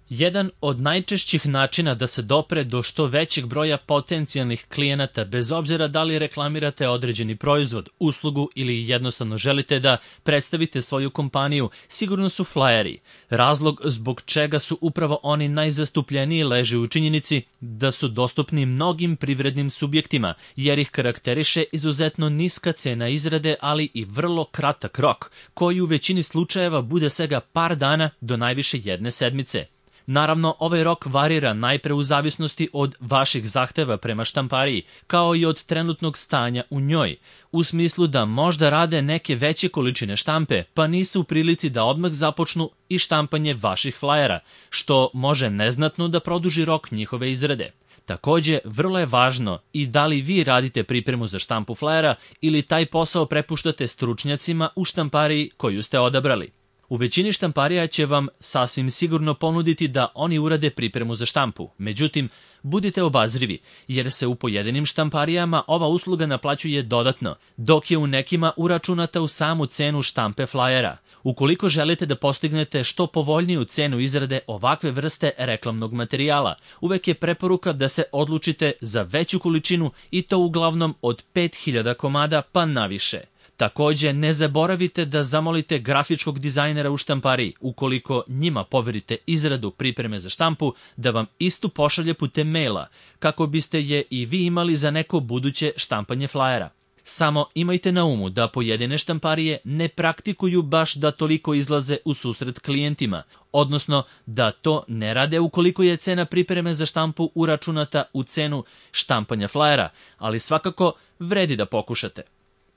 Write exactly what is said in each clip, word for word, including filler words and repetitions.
Jedan od najčešćih načina da se dopre do što većeg broja potencijalnih klijenata, bez obzira da li reklamirate određeni proizvod, uslugu ili jednostavno želite da predstavite svoju kompaniju, sigurno su flyeri. Razlog zbog čega su upravo oni najzastupljeniji leži u činjenici da su dostupni mnogim privrednim subjektima, jer ih karakteriše izuzetno niska cena izrade, ali i vrlo kratak rok, koji u većini slučajeva bude svega par dana do najviše jedne sedmice. Naravno, ovaj rok varira najpre u zavisnosti od vaših zahteva prema štampariji, kao i od trenutnog stanja u njoj, u smislu da možda rade neke veće količine štampe, pa nisu u prilici da odmah započnu i štampanje vaših flajera, što može neznatno da produži rok njihove izrade. Takođe, vrlo je važno i da li vi radite pripremu za štampu flajera ili taj posao prepuštate stručnjacima u štampariji koju ste odabrali. U većini štamparija će vam sasvim sigurno ponuditi da oni urade pripremu za štampu. Međutim, budite obazrivi, jer se u pojedinim štamparijama ova usluga naplaćuje dodatno, dok je u nekima uračunata u samu cenu štampe flajera. Ukoliko želite da postignete što povoljniju cenu izrade ovakve vrste reklamnog materijala, uvek je preporuka da se odlučite za veću količinu i to uglavnom od pet hiljada komada pa naviše. Takođe, ne zaboravite da zamolite grafičkog dizajnera u štampariji, ukoliko njima poverite izradu pripreme za štampu, da vam istu pošalje putem maila, kako biste je i vi imali za neko buduće štampanje flajera. Samo imajte na umu da pojedine štamparije ne praktikuju baš da toliko izlaze u susret klijentima, odnosno da to ne rade ukoliko je cena pripreme za štampu uračunata u cenu štampanja flajera, ali svakako vredi da pokušate.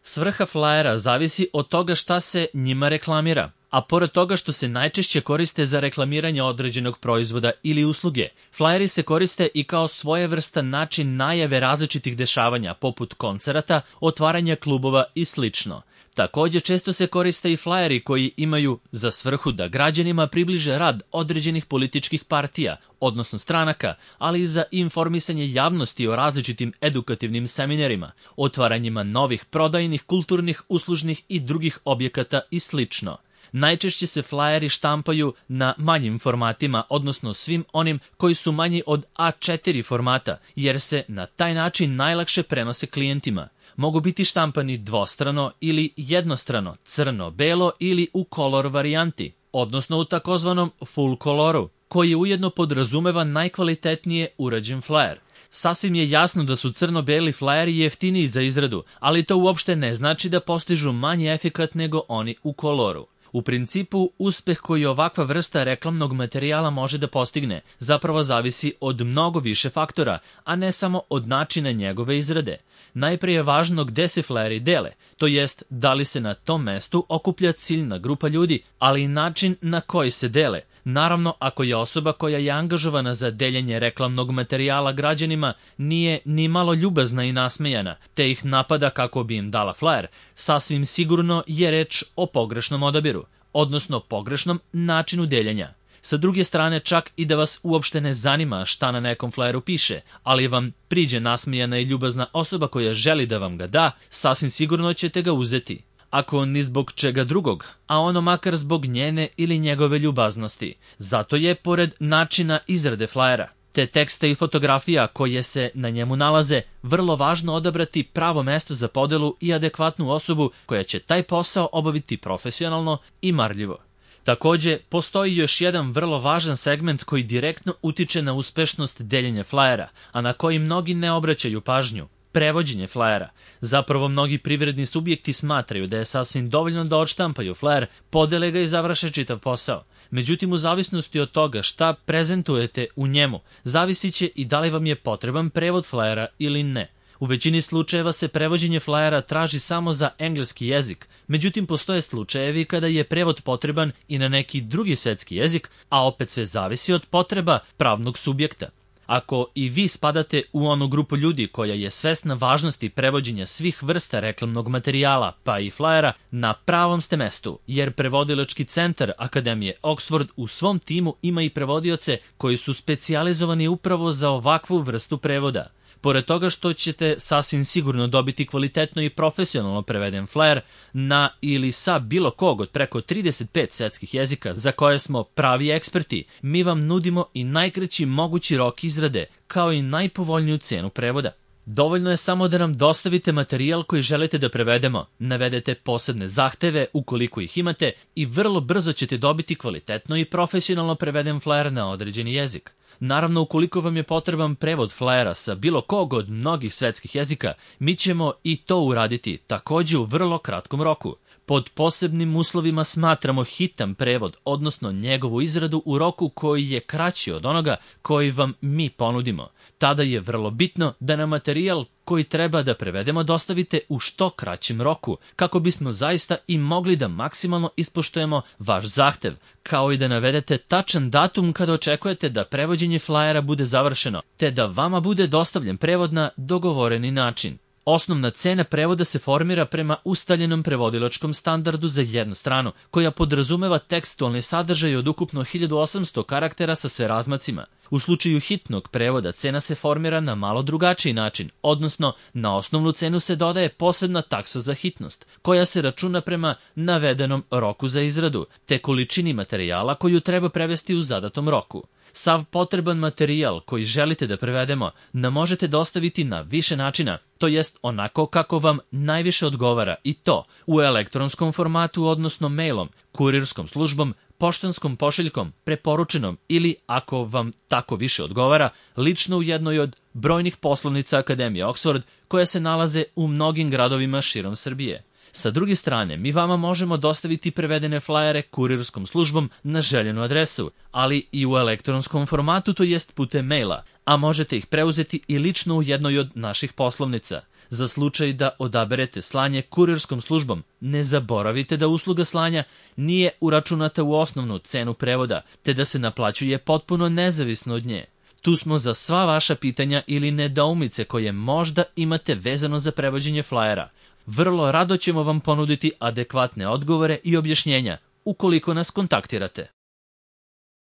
Svrha flajera zavisi od toga šta se njima reklamira, a pored toga što se najčešće koriste za reklamiranje određenog proizvoda ili usluge, flajeri se koriste i kao svojevrstan način najave različitih dešavanja, poput koncerata, otvaranja klubova i slično. Takođe, često se koriste i flajeri koji imaju za svrhu da građanima približe rad određenih političkih partija, odnosno stranaka, ali i za informisanje javnosti o različitim edukativnim seminarima, otvaranjima novih prodajnih, kulturnih, uslužnih i drugih objekata i slično. Najčešće se flajeri štampaju na manjim formatima, odnosno svim onim koji su manji od A četiri formata, jer se na taj način najlakše prenose klijentima. Mogu biti štampani dvostrano ili jednostrano, crno-belo ili u kolor varijanti, odnosno u takozvanom full koloru, koji ujedno podrazumeva najkvalitetnije urađen flajer. Sasvim je jasno da su crno-beli flajeri jeftiniji za izradu, ali to uopšte ne znači da postižu manji efekat nego oni u koloru. U principu, uspeh koji ovakva vrsta reklamnog materijala može da postigne zapravo zavisi od mnogo više faktora, a ne samo od načina njegove izrade. Najprije je važno gde se flajeri dele, to jest da li se na tom mestu okuplja ciljna grupa ljudi, ali i način na koji se dele. Naravno, ako je osoba koja je angažovana za deljenje reklamnog materijala građanima nije ni malo ljubazna i nasmejana, te ih napada kako bi im dala flajer, sasvim sigurno je reč o pogrešnom odabiru, odnosno pogrešnom načinu deljenja. Sa druge strane, čak i da vas uopšte ne zanima šta na nekom flajeru piše, ali vam priđe nasmejana i ljubazna osoba koja želi da vam ga da, sasvim sigurno ćete ga uzeti. Ako ni zbog čega drugog, a ono makar zbog njene ili njegove ljubaznosti. Zato je, pored načina izrade flajera, te teksta i fotografija koje se na njemu nalaze, vrlo važno odabrati pravo mesto za podelu i adekvatnu osobu koja će taj posao obaviti profesionalno i marljivo. Takođe, postoji još jedan vrlo važan segment koji direktno utiče na uspešnost deljenja flajera, a na koji mnogi ne obraćaju pažnju. Prevođenje flajera. Zapravo mnogi privredni subjekti smatraju da je sasvim dovoljno da odštampaju flajer, podele ga i završe čitav posao. Međutim, u zavisnosti od toga šta prezentujete u njemu, zavisit će i da li vam je potreban prevod flajera ili ne. U većini slučajeva se prevođenje flajera traži samo za engleski jezik, međutim postoje slučajevi kada je prevod potreban i na neki drugi svetski jezik, a opet sve zavisi od potreba pravnog subjekta. Ako i vi spadate u onu grupu ljudi koja je svesna važnosti prevođenja svih vrsta reklamnog materijala, pa i flajera, na pravom ste mestu, jer prevodilački centar Akademije Oxford u svom timu ima i prevodioce koji su specijalizovani upravo za ovakvu vrstu prevoda. Pored toga što ćete sasvim sigurno dobiti kvalitetno i profesionalno preveden flajer na ili sa bilo kog od preko trideset pet svetskih jezika za koje smo pravi eksperti, mi vam nudimo i najkraći mogući rok izrade, kao i najpovoljniju cenu prevoda. Dovoljno je samo da nam dostavite materijal koji želite da prevedemo, navedete posebne zahteve ukoliko ih imate i vrlo brzo ćete dobiti kvalitetno i profesionalno preveden flajer na određeni jezik. Naravno, ukoliko vam je potreban prevod flajera sa bilo kog od mnogih svetskih jezika, mi ćemo i to uraditi takođe u vrlo kratkom roku. Pod posebnim uslovima smatramo hitan prevod, odnosno njegovu izradu u roku koji je kraći od onoga koji vam mi ponudimo. Tada je vrlo bitno da nam materijal koji treba da prevedemo dostavite u što kraćem roku, kako bismo zaista i mogli da maksimalno ispoštujemo vaš zahtev, kao i da navedete tačan datum kada očekujete da prevođenje flajera bude završeno, te da vama bude dostavljen prevod na dogovoreni način. Osnovna cena prevoda se formira prema ustaljenom prevodilačkom standardu za jednu stranu, koja podrazumeva tekstualni sadržaj od ukupno hiljadu osamsto karaktera sa sve razmacima. U slučaju hitnog prevoda cena se formira na malo drugačiji način, odnosno na osnovnu cenu se dodaje posebna taksa za hitnost, koja se računa prema navedenom roku za izradu, te količini materijala koju treba prevesti u zadatom roku. Sav potreban materijal koji želite da prevedemo nam možete dostaviti na više načina, to jest onako kako vam najviše odgovara, i to u elektronskom formatu, odnosno mailom, kurirskom službom, poštanskom pošiljkom, preporučenom ili, ako vam tako više odgovara, lično u jednoj od brojnih poslovnica Akademije Oxford koje se nalaze u mnogim gradovima širom Srbije. Sa druge strane, mi vama možemo dostaviti prevedene flajere kurirskom službom na željenu adresu, ali i u elektronskom formatu, to jest putem maila, a možete ih preuzeti i lično u jednoj od naših poslovnica. Za slučaj da odaberete slanje kurirskom službom, ne zaboravite da usluga slanja nije uračunata u osnovnu cenu prevoda, te da se naplaćuje potpuno nezavisno od nje. Tu smo za sva vaša pitanja ili nedoumice koje možda imate vezano za prevođenje flajera. Vrlo rado ćemo vam ponuditi adekvatne odgovore i objašnjenja ukoliko nas kontaktirate.